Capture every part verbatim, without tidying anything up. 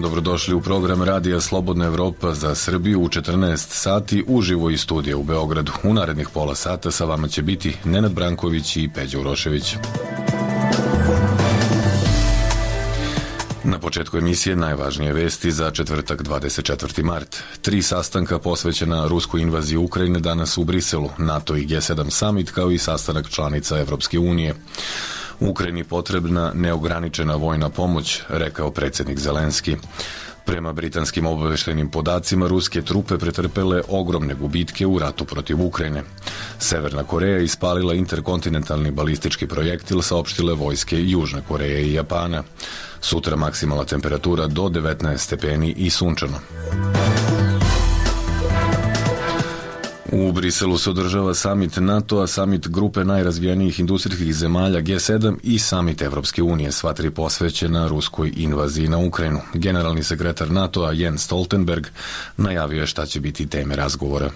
dobrodošli u program Radija Slobodna Evropa za Srbiju u četrnaest sati uživo iz studija u Beogradu. U narednih pola sata sa vama će biti Nenad Branković i Peđa Urošević. Na početku emisije najvažnije vesti za četvrtak dvadeset četvrti mart. Tri sastanka posvećena ruskoj invaziji Ukrajine danas u Briselu, NATO i G sedam summit kao i sastanak članica Evropske unije. Ukrajini potrebna neograničena vojna pomoć, rekao predsjednik Zelenski. Prema britanskim obaveštajnim podacima, ruske trupe pretrpele ogromne gubitke u ratu protiv Ukrajine. Severna Koreja ispalila interkontinentalni balistički projektil, saopštile vojske Južne Koreje i Japana. Sutra maksimalna temperatura do devetnaest stepeni i sunčano. U Briselu se održava samit NATO-a, samit grupe najrazvijenijih industrijskih zemalja G sedam i samit Evropske unije, sva tri posvećena ruskoj invaziji na Ukrajinu. Generalni sekretar NATO-a Jens Stoltenberg najavio je šta će biti teme razgovora.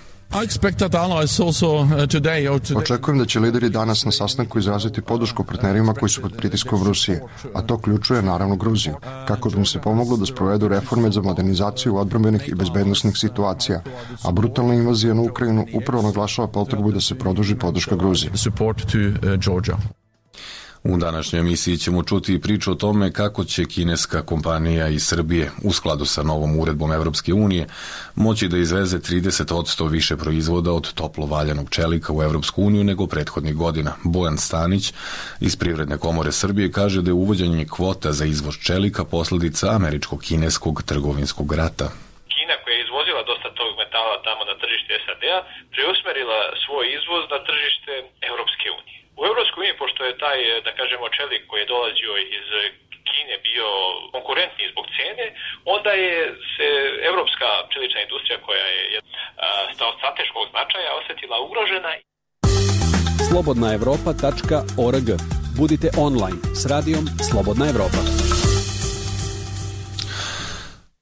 Očekujem da će lideri danas na sastanku izraziti podršku partnerima koji su pod pritiskom Rusije, a to ključuje naravno Gruziju, kako bi im se pomoglo da sprovedu reforme za modernizaciju odbrambenih i bezbednosnih situacija, a brutalna invazija na Ukrajinu upravo naglašava potrebu da se produži podrška Gruziji. U današnjoj emisiji ćemo čuti i priču o tome kako će kineska kompanija iz Srbije u skladu sa novom uredbom Evropske unije moći da izveze trideset posto više proizvoda od toplo valjanog čelika u Evropsku uniju nego prethodnih godina. Bojan Stanić iz Privredne komore Srbije kaže da je uvođenje kvota za izvoz čelika posljedica američko-kineskog trgovinskog rata. Kina koja je izvozila dosta tog metala tamo na tržište S A D-a preusmerila svoj izvoz na tržište Evropske unije. U Evropskoj uniji, pošto je taj, da kažemo, čelik koji je dolazio iz Kine bio konkurentniji zbog cene, onda je se evropska čelična industrija koja je od strateškog značaja osjetila ugrožena. slobodna evropa tačka org. Budite online s radijom Slobodna Evropa.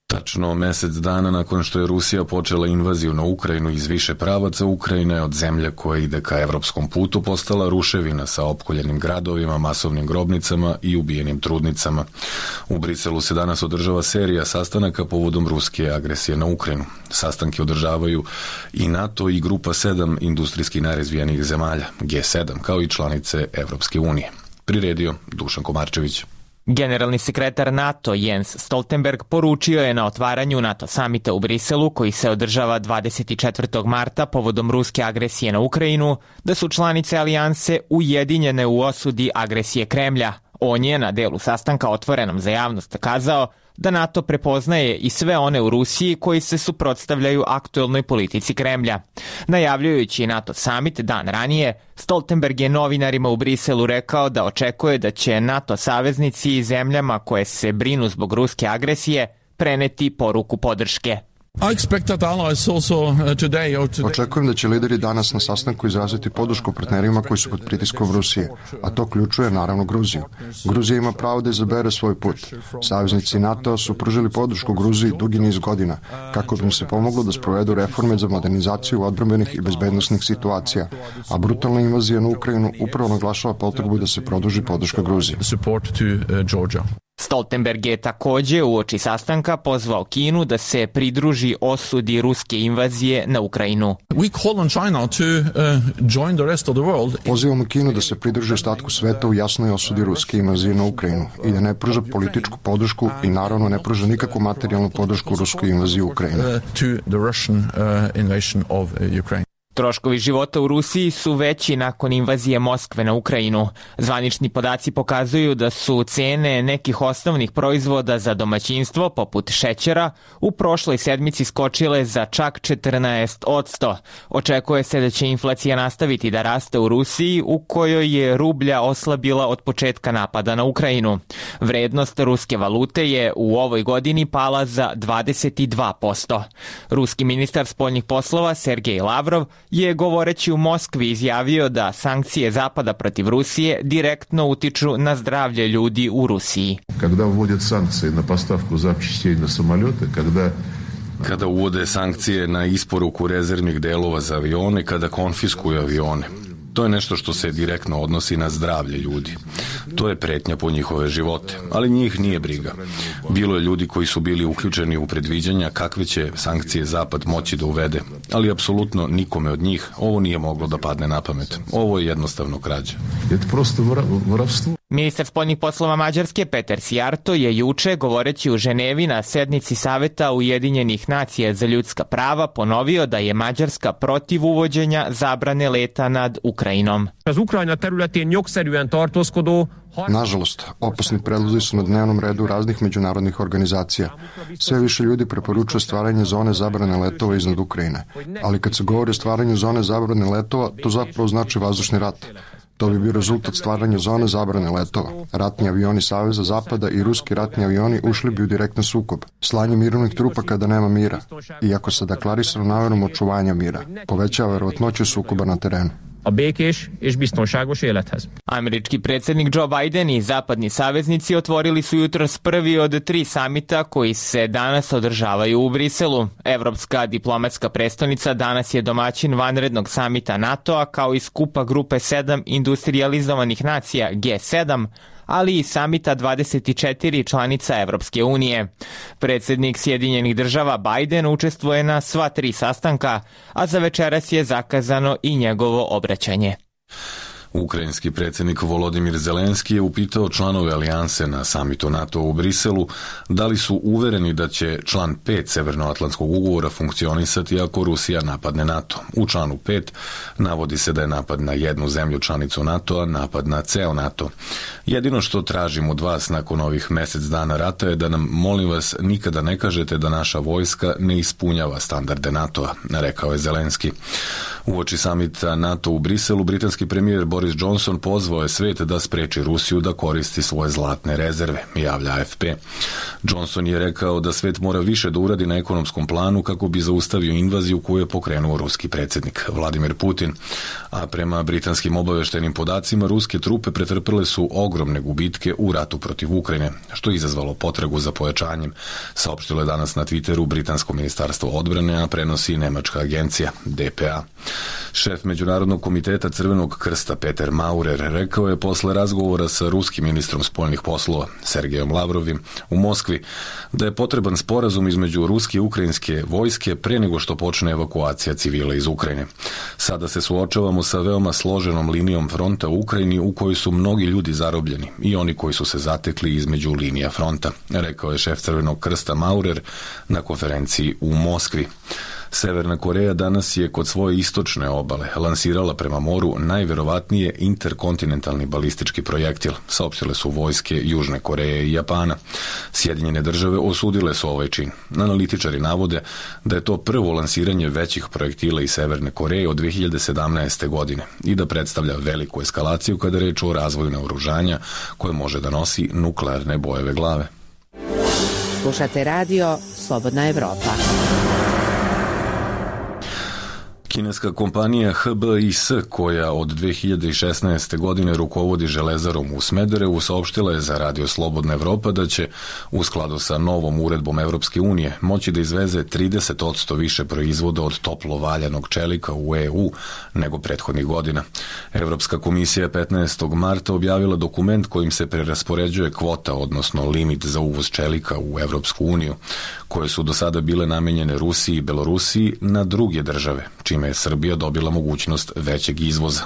Tačno mesec dana nakon što je Rusija počela invaziju na Ukrajinu iz više pravaca, Ukrajina je od zemlje koja ide ka evropskom putu postala ruševina sa opkoljenim gradovima, masovnim grobnicama i ubijenim trudnicama. U Briselu se danas održava serija sastanaka povodom ruske agresije na Ukrajinu. Sastanke održavaju i NATO i grupa sedam industrijski najrazvijenijih zemalja, G sedam, kao i članice Evropske unije. Priredio Dušan Komarčević. Generalni sekretar NATO Jens Stoltenberg poručio je na otvaranju NATO samita u Briselu, koji se održava dvadeset četvrtog marta povodom ruske agresije na Ukrajinu, da su članice alijanse ujedinjene u osudi agresije Kremlja. On je na delu sastanka otvorenom za javnost kazao da NATO prepoznaje i sve one u Rusiji koji se suprotstavljaju aktuelnoj politici Kremlja. Najavljujući NATO summit dan ranije, Stoltenberg je novinarima u Briselu rekao da očekuje da će NATO saveznici i zemljama koje se brinu zbog ruske agresije preneti poruku podrške. Očekujem da će lideri danas na sastanku izraziti podršku partnerima koji su pod pritiskom Rusije, a to ključuje naravno Gruziju. Gruzija ima pravo da izabere svoj put. Saveznici NATO su pružili podršku Gruziji dugi niz godina, kako bi im se pomoglo da sprovedu reforme za modernizaciju odbrambenih i bezbednosnih situacija, a brutalna invazija na Ukrajinu upravo naglašava potrebu da se produži podrška Gruziji. Stoltenberg je također uoči sastanka pozvao Kinu da se pridruži osudi ruske invazije na Ukrajinu. Pozivamo Kinu da se pridruži ostatku sveta u jasnoj osudi ruske invazije na Ukrajinu i da ne pruža političku podršku i naravno ne pruža nikakvu materijalnu podršku ruskoj invaziji Ukrajine. Troškovi života u Rusiji su veći nakon invazije Moskve na Ukrajinu. Zvanični podaci pokazuju da su cene nekih osnovnih proizvoda za domaćinstvo, poput šećera, u prošloj sedmici skočile za čak četrnaest posto. Očekuje se da će inflacija nastaviti da raste u Rusiji, u kojoj je rublja oslabila od početka napada na Ukrajinu. Vrednost ruske valute je u ovoj godini pala za dvadeset dva posto. Ruski ministar spoljnih poslova Sergej Lavrov je govoreći u Moskvi izjavio da sankcije Zapada protiv Rusije direktno utiču na zdravlje ljudi u Rusiji. Kada uvode sankcije na postavku zapčastей na samolete, kada Kada uvode sankcije na isporuku rezervnih delova za avione, kada konfiskuju avione. To je nešto što se direktno odnosi na zdravlje ljudi. To je pretnja po njihove živote, ali njih nije briga. Bilo je ljudi koji su bili uključeni u predviđanja kakve će sankcije Zapad moći da uvede, ali apsolutno nikome od njih ovo nije moglo da padne na pamet. Ovo je jednostavno krađa. Ministar spoljnih poslova Mađarske Peter Sijarto je juče, govoreći u Ženevi na sednici Saveta Ujedinjenih nacija za ljudska prava, ponovio da je Mađarska protiv uvođenja zabrane leta nad Ukrajinom. Nažalost, opasni predlozi su na dnevnom redu raznih međunarodnih organizacija. Sve više ljudi preporučuje stvaranje zone zabrane letova iznad Ukrajine. Ali kad se govori o stvaranju zone zabrane letova, to zapravo znači vazdušni rat. To bi bio rezultat stvaranja zone zabrane letova. Ratni avioni Saveza Zapada i ruski ratni avioni ušli bi u direktan sukob. Slanje mirovnih trupa kada nema mira. Iako sa deklarisanom namerom očuvanja mira, povećava verovatnoću sukoba na terenu. A békés és biztonságos élethez. Američki predsjednik Joe Biden i zapadni saveznici otvorili su jutros prvi od tri samita koji se danas održavaju u Briselu. Evropska diplomatska prestonica danas je domaćin vanrednog samita NATO-a kao i skupa grupe sedam industrializovanih nacija G sedam, ali i samita dvadeset četiri članica Evropske unije. Predsjednik Sjedinjenih država Biden učestvuje na sva tri sastanka, a za večeras je zakazano i njegovo obraćanje. Ukrajinski predsjednik Volodimir Zelenski je upitao članove alijanse na samitu NATO u Briselu da li su uvereni da će član pet Severnoatlantskog ugovora funkcionisati ako Rusija napadne NATO. U članu pet navodi se da je napad na jednu zemlju članicu NATO-a napad na ceo NATO. Jedino što tražim od vas nakon ovih mjesec dana rata je da nam, molim vas, nikada ne kažete da naša vojska ne ispunjava standarde NATO-a, rekao je Zelenski. Uoči samita NATO u Briselu, britanski premijer Boris Johnson pozvao je svet da spreči Rusiju da koristi svoje zlatne rezerve, javlja A F P. Johnson je rekao da svet mora više da uradi na ekonomskom planu kako bi zaustavio invaziju koju je pokrenuo ruski predsjednik Vladimir Putin. A prema britanskim obaveštenim podacima, ruske trupe pretrpele su ogromne gubitke u ratu protiv Ukrajine, što je izazvalo potragu za pojačanjem, saopštilo je danas na Twitteru britansko ministarstvo odbrane, a prenosi nemačka agencija D P A. Šef Međunarodnog komiteta Crvenog krsta Peter Maurer rekao je posle razgovora sa ruskim ministrom spoljnih poslova Sergejom Lavrovim u Moskvi da je potreban sporazum između ruske i ukrajinske vojske pre nego što počne evakuacija civila iz Ukrajine. Sada se suočavamo sa veoma složenom linijom fronta u Ukrajini u kojoj su mnogi ljudi zarobljeni i oni koji su se zatekli između linija fronta, rekao je šef Crvenog krsta Maurer na konferenciji u Moskvi. Severna Koreja danas je kod svoje istočne obale lansirala prema moru najverovatnije interkontinentalni balistički projektil, saopštile su vojske Južne Koreje i Japana. Sjedinjene države osudile su ovaj čin. Analitičari navode da je to prvo lansiranje većih projektila iz Severne Koreje od dve hiljade sedamnaeste. godine i da predstavlja veliku eskalaciju kada je reč o razvoju naoružanja koje može da nosi nuklearne bojeve glave. Slušate radio Slobodna Evropa. Kineska kompanija H B I S, koja od dve hiljade šesnaeste. godine rukovodi železarom u Smederevu, saopštila je za radio Slobodna Evropa da će, u skladu sa novom uredbom Evropske unije, moći da izveze trideset posto više proizvoda od toplo valjanog čelika u E U nego prethodnih godina. Evropska komisija je petnaestog marta objavila dokument kojim se preraspoređuje kvota, odnosno limit za uvoz čelika u Evropsku uniju, koje su do sada bile namenjene Rusiji i Belorusiji, na druge države, čime je Srbija dobila mogućnost većeg izvoza.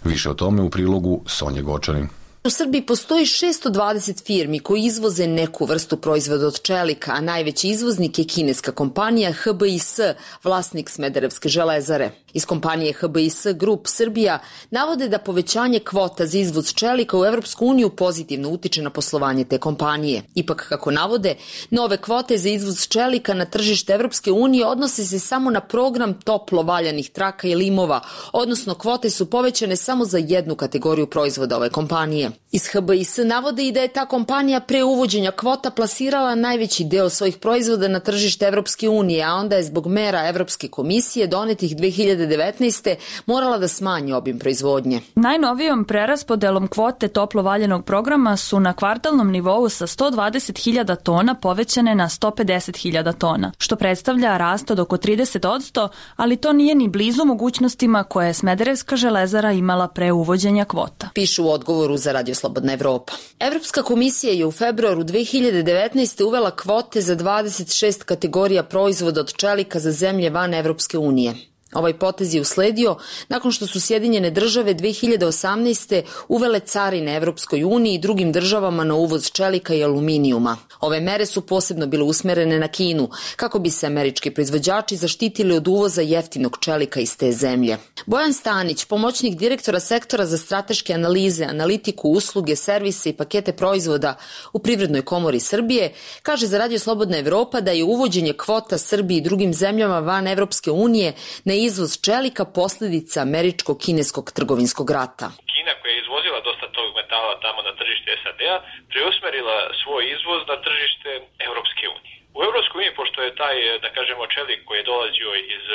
Više o tome u prilogu Sonje Gočanin. U Srbiji postoji šesto dvadeset firmi koji izvoze neku vrstu proizvoda od čelika, a najveći izvoznik je kineska kompanija H B I S, vlasnik Smederevske železare. Iz kompanije H B I S Group Srbija navode da povećanje kvota za izvoz čelika u Evropsku uniju pozitivno utiče na poslovanje te kompanije. Ipak, kako navode, nove kvote za izvoz čelika na tržište Evropske unije odnose se samo na program toplo valjanih traka i limova, odnosno kvote su povećane samo za jednu kategoriju proizvoda ove kompanije. Iz H B I S navode i da je ta kompanija pre uvođenja kvota plasirala najveći deo svojih proizvoda na tržište Evropske unije, a onda je zbog mera Evropske komisije donetih dve hiljade devetnaeste. morala da smanji obim proizvodnje. Najnovijom preraspodelom kvote toplo valjenog programa su na kvartalnom nivou sa sto dvadeset hiljada tona povećane na sto pedeset hiljada tona, što predstavlja rast od oko trideset posto, ali to nije ni blizu mogućnostima koje je Smederevska železara imala pre uvođenja kvota. Pišu u odgovoru za Radio Slobodna Evropa. Evropska komisija je u februaru dve hiljade devetnaeste. uvela kvote za dvadeset šest kategorija proizvoda od čelika za zemlje van Evropske unije. Ovaj potez je usledio nakon što su Sjedinjene države dve hiljade osamnaeste. uvele carine Evropskoj uniji i drugim državama na uvoz čelika i aluminijuma. Ove mere su posebno bile usmerene na Kinu, kako bi se američki proizvođači zaštitili od uvoza jeftinog čelika iz te zemlje. Bojan Stanić, pomoćnik direktora sektora za strateške analize, analitiku, usluge, servise i pakete proizvoda u Privrednoj komori Srbije, kaže za Radio Slobodna Evropa da je uvođenje kvota Srbiji i drugim zemljama van Evropske unije na izvoz čelika posljedica američko-kineskog trgovinskog rata. Kina, koja je izvozila dosta tog metala tamo na tržište S A D-a, preusmerila svoj izvoz na tržište Evropske unije. U Evropskoj uniji, pošto je taj, da kažemo, čelik koji je dolazio iz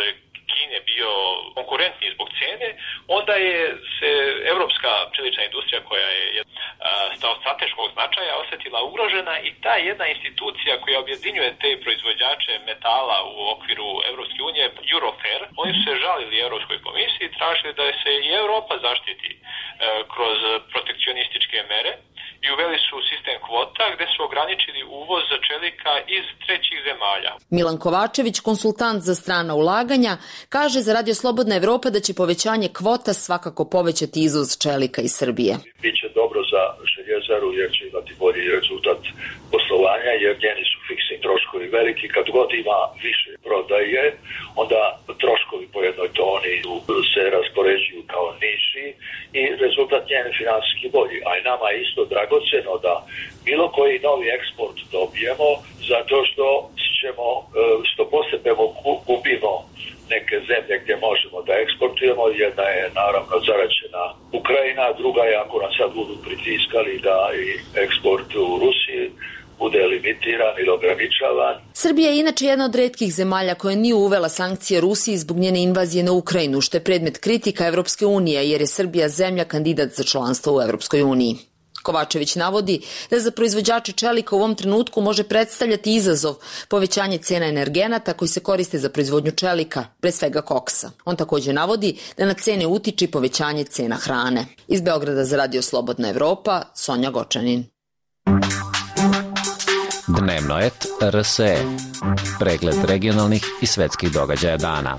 Kine bio konkurentniji zbog cene, onda je se evropska čelična industrija, koja je od strateškog značaja, osjetila ugrožena i ta jedna institucija koja objedinjuje te proizvođače metala u okviru Evropske unije, Eurofer, oni su se žalili Evropskoj komisiji i tražili da se i Evropa zaštiti kroz protekcionističke mere i uveli su sistem kvota gde su ograničili uvoz čelika iz trećih zemalja. Milan Kovačević, konsultant za strana ulaganja, kaže za Radio Slobodna Evropa da će povećanje kvota svakako povećati izvoz čelika iz Srbije. Biće dobro za željezaru jer će imati bolji rezultat poslovanja jer njeni su fiksni troškovi veliki. Kad god ima više prodaje, onda troškovi po jednoj toni se raspoređuju kao niži i rezultat njen finansijski bolji. A i nama je isto dragoceno da bilo koji novi eksport dobijemo zato što ćemo, što posebno gubimo neke zemlje gdje možemo da eksportujemo. Jedna je naravno zaraćena Ukrajina, druga je ako nas sad budu pritiskali da i eksport u Rusiji bude limitiran ili ograničavan. Srbija je inače jedna od retkih zemalja koja nije uvela sankcije Rusiji zbog njene invazije na Ukrajinu, što je predmet kritika Evropske unije, jer je Srbija zemlja kandidat za članstvo u Evropskoj uniji. Kovačević navodi da za proizvođače čelika u ovom trenutku može predstavljati izazov povećanje cena energenata koji se koriste za proizvodnju čelika, pre svega koksa. On također navodi da na cene utiče povećanje cena hrane. Iz Beograda za Radio Slobodna Evropa, Sonja Gočanin. Dnevnoet R S E. Pregled regionalnih i svetskih događaja dana.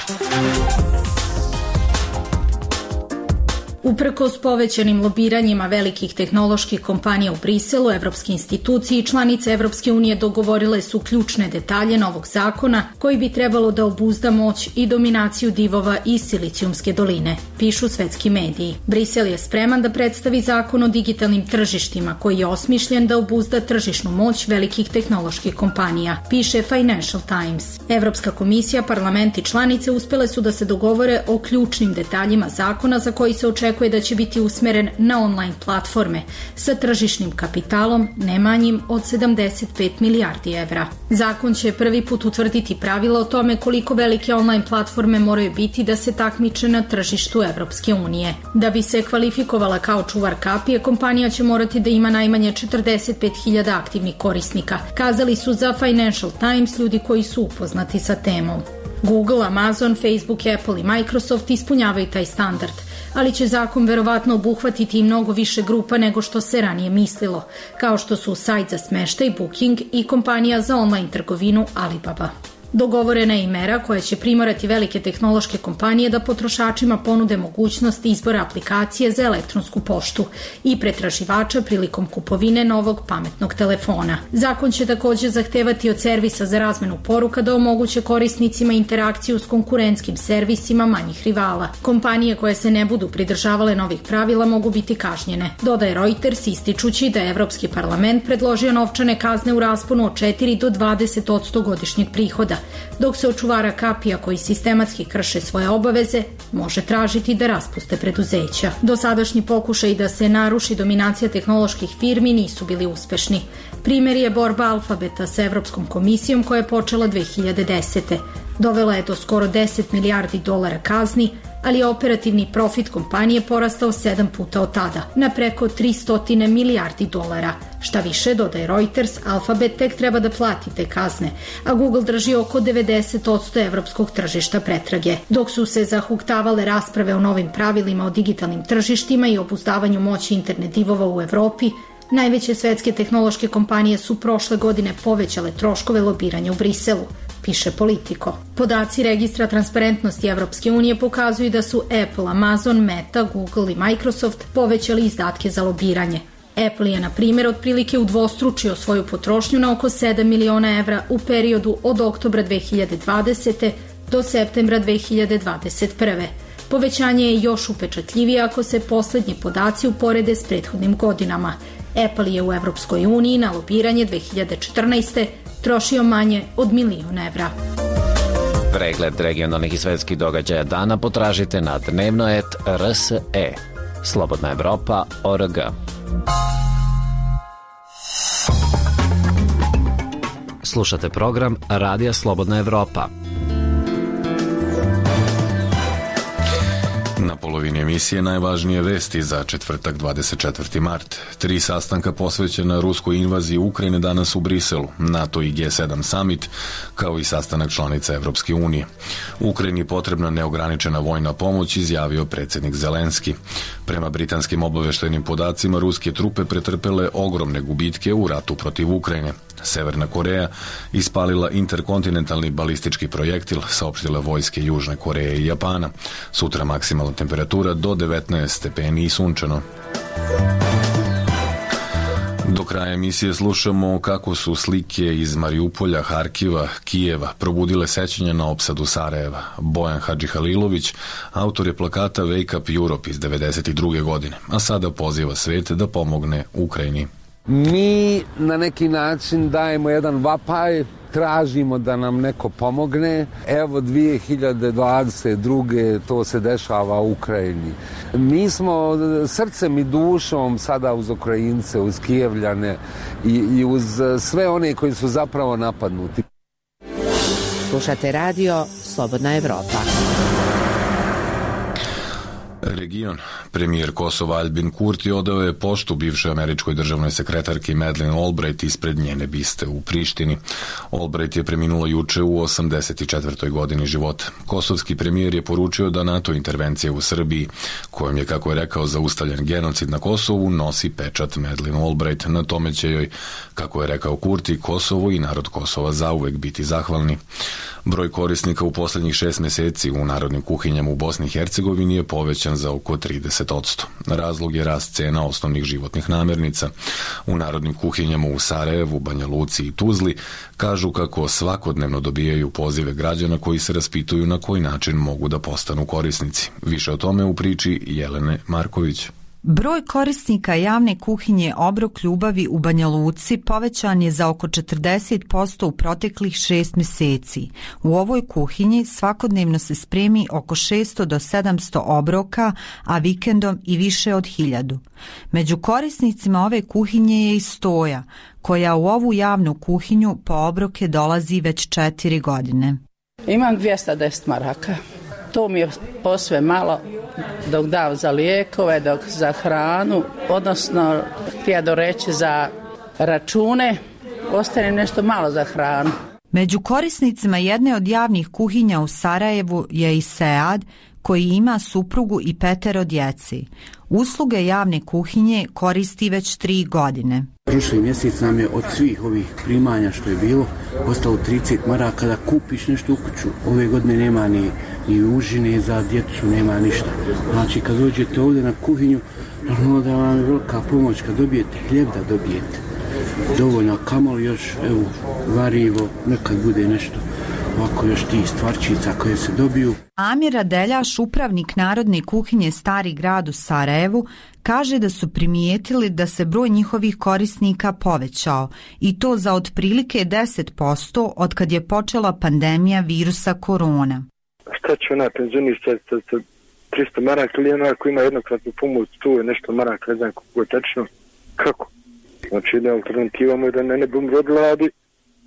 Uprkos povećanim lobiranjima velikih tehnoloških kompanija u Briselu, evropske institucije i članice Evropske unije dogovorile su ključne detalje novog zakona koji bi trebalo da obuzda moć i dominaciju divova iz Silicijumske doline, pišu svetski mediji. Brisel je spreman da predstavi zakon o digitalnim tržištima koji je osmišljen da obuzda tržišnu moć velikih tehnoloških kompanija, piše Financial Times. Evropska komisija, parlament i članice uspele su da se dogovore o ključnim detaljima zakona za koji se očekuje da će biti usmeren na online platforme sa tržišnim kapitalom ne manjim od sedamdeset pet milijardi evra. Zakon će prvi put utvrditi pravila o tome koliko velike online platforme moraju biti da se takmiče na tržištu Evropske unije. Da bi se kvalifikovala kao čuvar kapije, kompanija će morati da ima najmanje četrdeset pet hiljada aktivnih korisnika, kazali su za Financial Times ljudi koji su upoznati sa temom. Google, Amazon, Facebook, Apple i Microsoft ispunjavaju taj standard, ali će zakon verovatno obuhvatiti i mnogo više grupa nego što se ranije mislilo, kao što su sajt za smeštaj Booking i kompanija za online trgovinu Alibaba. Dogovorena je i mera koja će primorati velike tehnološke kompanije da potrošačima ponude mogućnost izbora aplikacije za elektronsku poštu i pretraživača prilikom kupovine novog pametnog telefona. Zakon će također zahtevati od servisa za razmenu poruka da omoguće korisnicima interakciju s konkurentskim servisima manjih rivala. Kompanije koje se ne budu pridržavale novih pravila mogu biti kažnjene, dodaje Reuters ističući da je Evropski parlament predložio novčane kazne u rasponu od četiri do dvadeset posto godišnjeg prihoda, dok se od čuvara kapija koji sistematski krše svoje obaveze može tražiti da raspuste preduzeća. Dosadašnji pokušaj da se naruši dominacija tehnoloških firmi nisu bili uspešni. Primjer je borba Alfabeta sa Evropskom komisijom koja je počela dve hiljade desete. Dovela je do skoro deset milijardi dolara kazni, ali je operativni profit kompanije porastao sedam puta od tada, na preko tristo milijardi dolara. Šta više, dodaje Reuters, Alphabet tek treba da plati te kazne, a Google drži oko devedeset posto evropskog tržišta pretrage. Dok su se zahuktavale rasprave o novim pravilima o digitalnim tržištima i obuzdavanju moći internet divova u Evropi, najveće svetske tehnološke kompanije su prošle godine povećale troškove lobiranja u Briselu, piše Politico. Podaci registra transparentnosti Evropske unije pokazuju da su Apple, Amazon, Meta, Google i Microsoft povećali izdatke za lobiranje. Apple je, na primjer, otprilike udvostručio svoju potrošnju na oko sedam miliona evra u periodu od oktobra dve hiljade dvadesete do septembra dve hiljade dvadeset prve. Povećanje je još upečatljivije ako se poslednji podaci uporede s prethodnim godinama. Apple je u Evropskoj uniji na lobiranje dve hiljade četrnaeste. trošio manje od milion evra. Pregled regionalnih i svetskih događaja dana potražite na dnevno et er es e. Slobodna Evropa tačka org. Slušate program Radija Slobodna Evropa. Na polovini emisije najvažnije vesti za četvrtak dvadeset četvrti mart. Tri sastanka posvećena ruskoj invaziji Ukrajine danas u Briselu, NATO i G sedam summit, kao i sastanak članica Evropske unije. Ukrajini je potrebna neograničena vojna pomoć, izjavio predsjednik Zelenski. Prema britanskim obaveštajnim podacima, ruske trupe pretrpele ogromne gubitke u ratu protiv Ukrajine. Severna Koreja ispalila interkontinentalni balistički projektil, saopštile vojske Južne Koreje i Japana. Sutra maksimalna temperatura do devetnaest stepeni i sunčano. Do kraja emisije slušamo kako su slike iz Mariupolja, Harkiva, Kijeva probudile sećanja na opsadu Sarajeva. Bojan Hadžihalilović, autor je plakata Wake Up Europe iz devedeset druge godine, a sada poziva svet da pomogne Ukrajini. Mi na neki način dajemo jedan vapaj, tražimo da nam neko pomogne. Evo dve hiljade dvadeset druge to se dešava u Ukrajini. Mi smo srcem i dušom sada uz Ukrajince, uz Kijevljane i, i uz sve one koji su zapravo napadnuti. Slušate radio Slobodna Evropa. Region. Premijer Kosova Albin Kurti odao je poštu bivšoj američkoj državnoj sekretarki Madeleine Albright ispred njene biste u Prištini. Albright je preminula juče u osamdeset četvrtoj godini života. Kosovski premijer je poručio da NATO intervencija u Srbiji, kojom je, kako je rekao, zaustavljen genocid na Kosovu, nosi pečat Madeleine Albright. Na tome će joj, kako je rekao Kurti, Kosovo i narod Kosova zauvek biti zahvalni. Broj korisnika u posljednjih šest meseci u narodnim kuhinjama u Bosni i Hercegovini je povećan za oko trideset posto. Razlog je rast cena osnovnih životnih namirnica. U narodnim kuhinjama u Sarajevu, Banja Luci i Tuzli kažu kako svakodnevno dobijaju pozive građana koji se raspituju na koji način mogu da postanu korisnici. Više o tome u priči Jelene Marković. Broj korisnika javne kuhinje Obrok ljubavi u Banja Luci povećan je za oko četrdeset posto u proteklih šest meseci. U ovoj kuhinji svakodnevno se spremi oko šesto do sedamsto obroka, a vikendom i više od hiljadu. Među korisnicima ove kuhinje je i Stoja, koja u ovu javnu kuhinju po obroke dolazi već četiri godine. Imam dvjesto deset maraka. To mi je posve malo dok dam za lijekove, dok za hranu, odnosno htio doreći za račune, ostane nešto malo za hranu. Među korisnicima jedne od javnih kuhinja u Sarajevu je i Sead, koji ima suprugu i petero djeci. Usluge javne kuhinje koristi već tri godine. Prošli mjesec nam je od svih ovih primanja što je bilo ostalo trideset maraka da kupiš nešto u kuću. Ove godine nema ni, ni užine za djecu, nema ništa. Znači kad dođete ovdje na kuhinju, normalno da vam je velika pomoć kad dobijete hljeb da dobijete. Dovoljno, kamoli još, evo, varivo, nekad bude nešto. Ovako još ti stvarčica koje se dobiju. Amir Adeljaš, upravnik Narodne kuhinje Stari grad u Sarajevu, kaže da su primijetili da se broj njihovih korisnika povećao i to za otprilike deset posto od kad je počela pandemija virusa korona. Šta će ona penzionista sa tristo maraka ili ona ako ima jednokratnu pomoć, tu je nešto maraka, ne znam kako je tečno. Kako? Znači jedna alternativa mu je da ne ne bum rodladi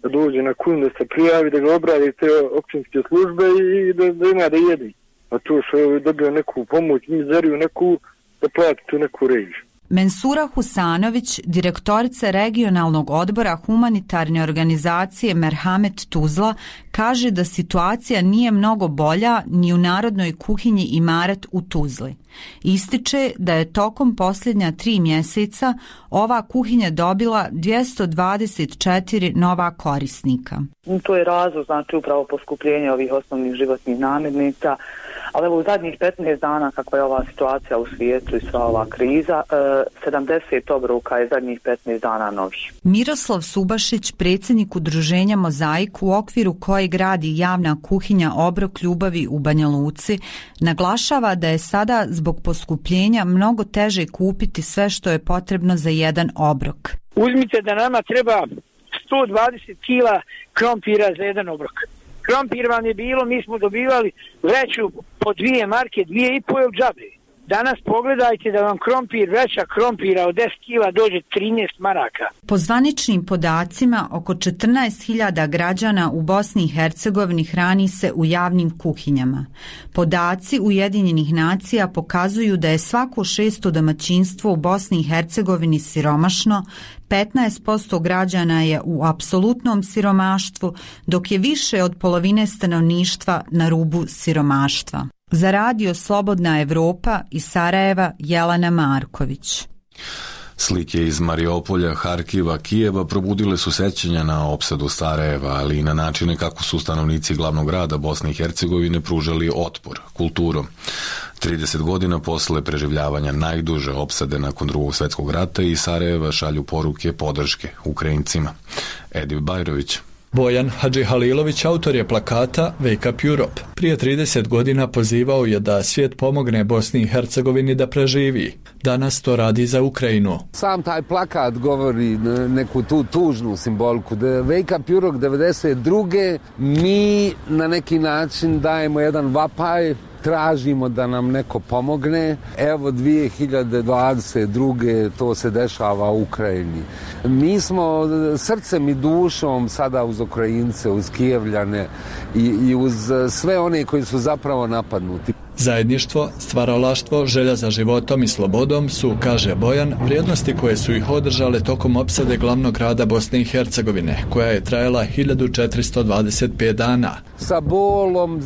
da dođe na kuću, da se prijavi, da ga obradi te općinske službe i da, da ima da jedi. A to što je dobio neku pomoć, mizeriju neku, da plati tu neku režiju. Mensura Husanović, direktorica regionalnog odbora humanitarne organizacije Merhamet Tuzla, kaže da situacija nije mnogo bolja ni u narodnoj kuhinji Imaret u Tuzli. Ističe da je tokom posljednja tri mjeseca ova kuhinja dobila dvjesto dvadeset četiri nova korisnika. To je razlog, znači upravo poskupljenje ovih osnovnih životnih namirnica, ali evo u zadnjih petnaest dana kakva je ova situacija u svijetu i sva ova kriza, sedamdeset obroka je zadnjih petnaest dana novih. Miroslav Subašić, predsjednik udruženja Mozaik u okviru koje gradi javna kuhinja Obrok ljubavi u Banja Luci, naglašava da je sada zbog poskupljenja mnogo teže kupiti sve što je potrebno za jedan obrok. Uzmite da nama treba sto dvadeset kila krompira za jedan obrok. Krompir vam je bilo, mi smo dobivali vreću po dvije marke, dvije i po je u džabe. Danas pogledajte da vam krompir, vreća krompira od deset kila dođe trinaest maraka. Po zvaničnim podacima, oko četrnaest hiljada građana u Bosni i Hercegovini hrani se u javnim kuhinjama. Podaci Ujedinjenih nacija pokazuju da je svako šesto domaćinstvo u Bosni i Hercegovini siromašno, petnaest posto građana je u apsolutnom siromaštvu, dok je više od polovine stanovništva na rubu siromaštva. Za radio Slobodna Evropa iz Sarajeva, Jelena Marković. Slike iz Mariupolja, Harkiva, Kijeva probudile su sećanja na opsadu Sarajeva, ali i na načine kako su stanovnici glavnog grada Bosne i Hercegovine pružali otpor, kulturom. trideset godina posle preživljavanja najduže opsade nakon drugog svjetskog rata i Sarajeva šalju poruke podrške Ukrajincima. Edip Bajrović. Bojan Hadžihalilović, autor je plakata Wake Up Europe. Prije trideset godina pozivao je da svijet pomogne Bosni i Hercegovini da preživi. Danas to radi za Ukrajinu. Sam taj plakat govori neku tu tužnu simboliku. Wake Up Europe devedeset druge mi na neki način dajemo jedan vapaj, tražimo da nam neko pomogne. Evo dvije hiljade dvadeset druge to se dešava u Ukrajini. Mi smo srcem i dušom sada uz Ukrajince, uz Kijevljane i, i uz sve one koji su zapravo napadnuti. Zajedništvo, stvaralaštvo, želja za životom i slobodom su, kaže Bojan, vrijednosti koje su ih održale tokom opsade glavnog grada Bosne i Hercegovine, koja je trajala hiljadu četiristo dvadeset pet dana. Sa bolom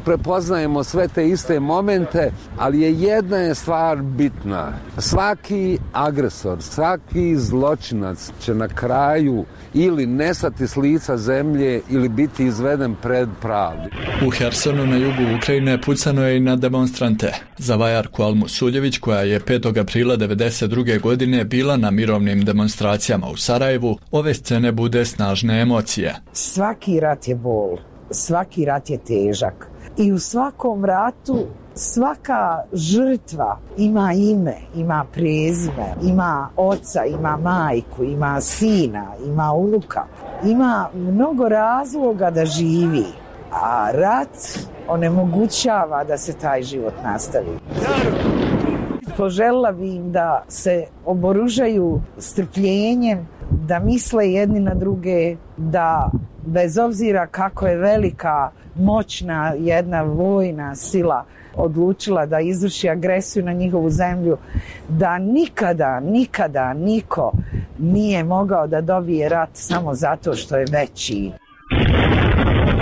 prepoznajemo sve te iste momente, ali je jedna je stvar bitna. Svaki agresor, svaki zločinac će na kraju ili nestati s lica zemlje ili biti izveden pred pravdu. U Hersonu na jugu Ukrajine pucano je i na demonstrante. Za Vajarku Almu Suljević, koja je petog aprila devedeset druge godine bila na mirovnim demonstracijama u Sarajevu, ove scene bude snažne emocije. Svaki rat je bol, svaki rat je težak i u svakom ratu svaka žrtva ima ime, ima prezime, ima oca, ima majku, ima sina, ima unuka, ima mnogo razloga da živi, a rat onemogućava da se taj život nastavi. Poželjela bi im da se oboružaju strpljenjem, da misle jedni na druge, da bez obzira kako je velika, moćna jedna vojna sila odlučila da izvrši agresiju na njihovu zemlju, da nikada, nikada niko nije mogao da dobije rat samo zato što je veći.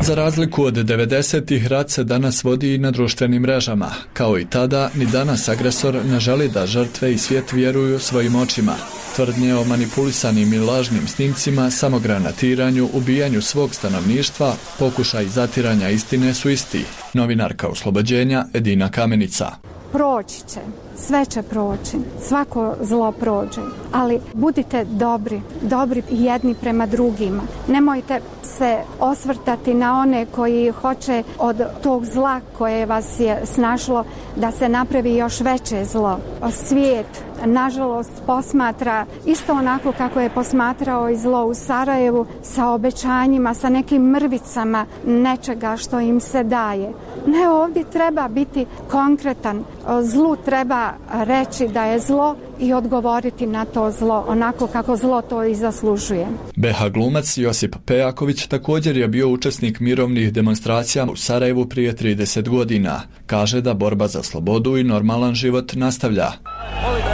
Za razliku od devedesetih, rat se danas vodi i na društvenim mrežama. Kao i tada, ni danas agresor ne želi da žrtve i svijet vjeruju svojim očima. Tvrdnje o manipulisanim i lažnim snimcima, samogranatiranju, ubijanju svog stanovništva, pokušaj zatiranja istine su isti. Novinarka Oslobođenja Edina Kamenica. Proći će, sve će proći, svako zlo prođe, ali budite dobri, dobri jedni prema drugima. Nemojte se osvrtati na one koji hoće od tog zla koje vas je snašlo da se napravi još veće zlo. Svijet, nažalost, posmatra isto onako kako je posmatrao i zlo u Sarajevu, sa obećanjima, sa nekim mrvicama nečega što im se daje. Ne, ovdje treba biti konkretan. Zlu treba reći da je zlo i odgovoriti na to zlo onako kako zlo to i zaslužuje. B H glumac Josip Pejaković također je bio učesnik mirovnih demonstracija u Sarajevu prije trideset godina. Kaže da borba za slobodu i normalan život nastavlja.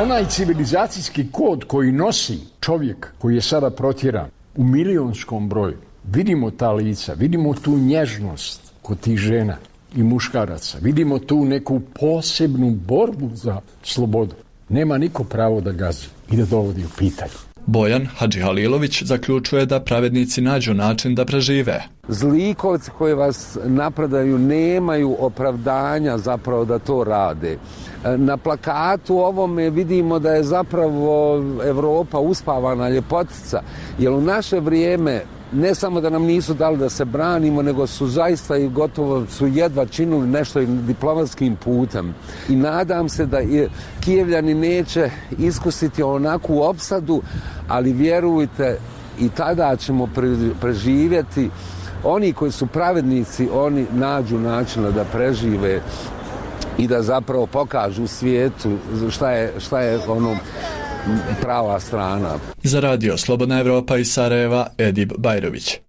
Onaj civilizacijski kod koji nosi čovjek koji je sada protjeran u milionskom broju, vidimo ta lica, vidimo tu nježnost kod tih žena i muškaraca, vidimo tu neku posebnu borbu za slobodu. Nema niko pravo da gazi i da dovodi u pitanje. Bojan Hadžihalilović zaključuje da pravednici nađu način da prežive. Zlikovci koji vas napadaju nemaju opravdanja zapravo da to rade. Na plakatu ovome vidimo da je zapravo Evropa uspavana ljepotica, jer u naše vrijeme ne samo da nam nisu dali da se branimo, nego su zaista i gotovo su jedva činili nešto diplomatskim putem. I nadam se da Kijevljani neće iskusiti onakvu opsadu, ali vjerujte, i tada ćemo preživjeti. Oni koji su pravednici, oni nađu načina da prežive i da zapravo pokažu svijetu šta je, šta je ono prava strana. Za radio Slobodna Evropa iz Sarajeva, Edib Bajrović.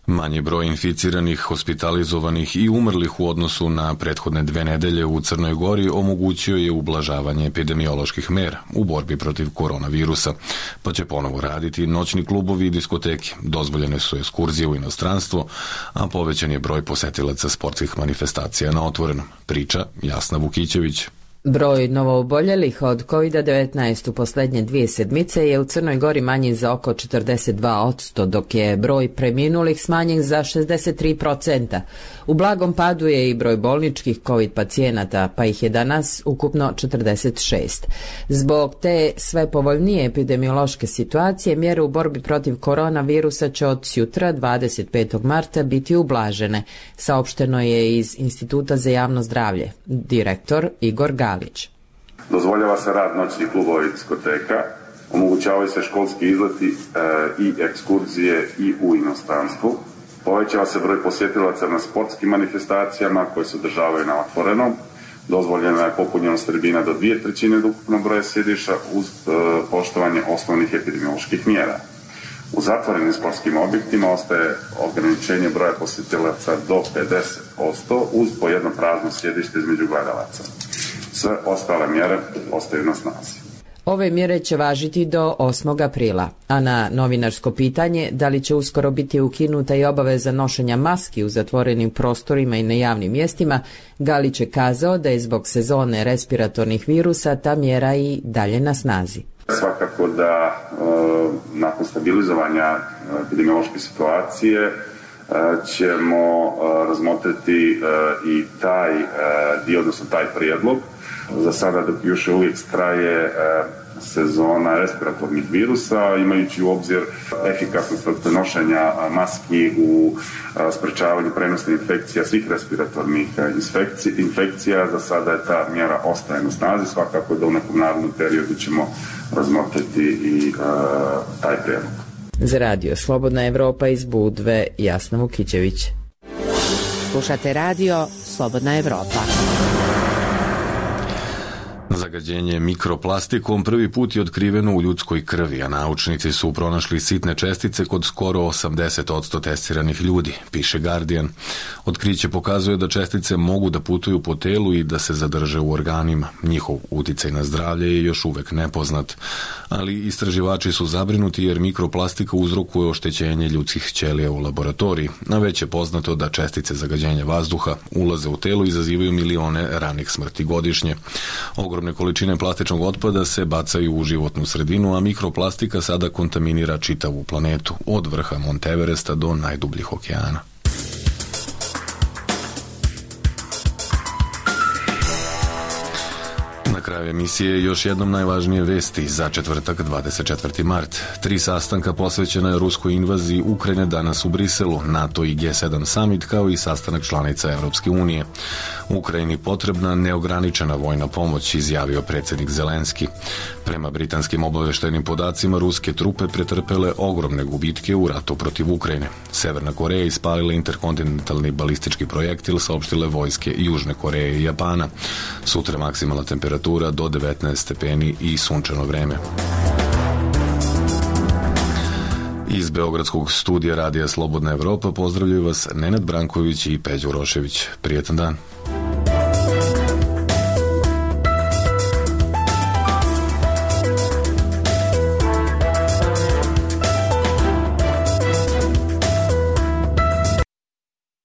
Manji broj inficiranih, hospitalizovanih i umrlih u odnosu na prethodne dve nedelje u Crnoj Gori omogućio je ublažavanje epidemioloških mera u borbi protiv koronavirusa, pa će ponovo raditi noćni klubovi i diskoteke. Dozvoljene su ekskurzije u inostranstvo, a povećan je broj posetilaca sportskih manifestacija na otvorenom. Priča Jasna Vukićević. Broj novooboljelih od kovid devetnaest u posljednje dvije sedmice je u Crnoj Gori manji za oko četrdeset dva posto, dok je broj preminulih smanjen za šezdeset tri posto. U blagom padu je i broj bolničkih covid pacijenata, pa ih je danas ukupno četrdeset šest. Zbog te sve povoljnije epidemiološke situacije, mjere u borbi protiv koronavirusa će od sutra, dvadeset petog marta, biti ublažene, saopšteno je iz Instituta za javno zdravlje. Direktor Igor Gal. Dozvoljava se rad noćnih klubova i diskoteka, omogućavaju se školski izleti e, i ekskurzije i u inostranstvu. Povećava se broj posjetilaca na sportskim manifestacijama koje se održavaju na otvorenom. Dozvoljena je popunjenost tribina do dvije trećine od ukupnog broja sjedišta uz e, poštovanje osnovnih epidemioloških mjera. U zatvorenim sportskim objektima ostaje ograničenje broja posjetilaca do pedeset posto uz po jedno prazno sjedište između gledalaca. Sve ostale mjere ostaju na snazi. Ove mjere će važiti do osmog aprila, a na novinarsko pitanje da li će uskoro biti ukinuta i obaveza nošenja maski u zatvorenim prostorima i na javnim mjestima, Galić je kazao da je zbog sezone respiratornih virusa ta mjera i dalje na snazi. Svakako da e, nakon stabilizovanja epidemiološke situacije e, ćemo e, razmotriti e, i taj e, dio, odnosno taj prijedlog. Za sada dok još uvijek traje e, sezona respiratornih virusa, imajući u obzir efikasnost nošenja maski u a, sprečavanju prenosnih infekcija, svih respiratornih infekcija, za sada je ta mjera ostaje na snazi, svakako da u nekom narednom periodu ćemo razmotriti i a, taj prijedlog. Za radio Slobodna Evropa iz Budve, Jasna Vukićević. Slušate radio Slobodna Evropa. Zagađenje mikroplastikom prvi put je otkriveno u ljudskoj krvi, a naučnici su pronašli sitne čestice kod skoro osamdeset posto testiranih ljudi, piše Guardian. Otkriće pokazuje da čestice mogu da putuju po telu i da se zadrže u organima. Njihov uticaj na zdravlje je još uvek nepoznat, ali istraživači su zabrinuti jer mikroplastika uzrokuje oštećenje ljudskih ćelija u laboratoriji, a već je poznato da čestice zagađenja vazduha ulaze u telo i izazivaju milione ranih smrti godišnje. Ogromne količine plastičnog otpada se bacaju u životnu sredinu, a mikroplastika sada kontaminira čitavu planetu, od vrha Monteveresta do najdubljih okeana. Na kraju kraju emisije još jednom najvažnije vesti za četvrtak dvadeset četvrti mart. Tri sastanka posvećena je ruskoj invaziji Ukrajine danas u Briselu, NATO i G sedam summit kao i sastanak članica Evropske unije. Ukrajini potrebna neograničena vojna pomoć, izjavio predsjednik Zelenski. Prema britanskim obaveštajnim podacima, ruske trupe pretrpele ogromne gubitke u ratu protiv Ukrajine. Severna Koreja ispalila interkontinentalni balistički projektil, saopštile vojske Južne Koreje i Japana. Sutra maksimalna temperatura do devetnaest stepeni i sunčano vreme. Iz Beogradskog studija Radija Slobodna Evropa pozdravljaju vas Nenad Branković i Peđa Urošević. Prijetan dan.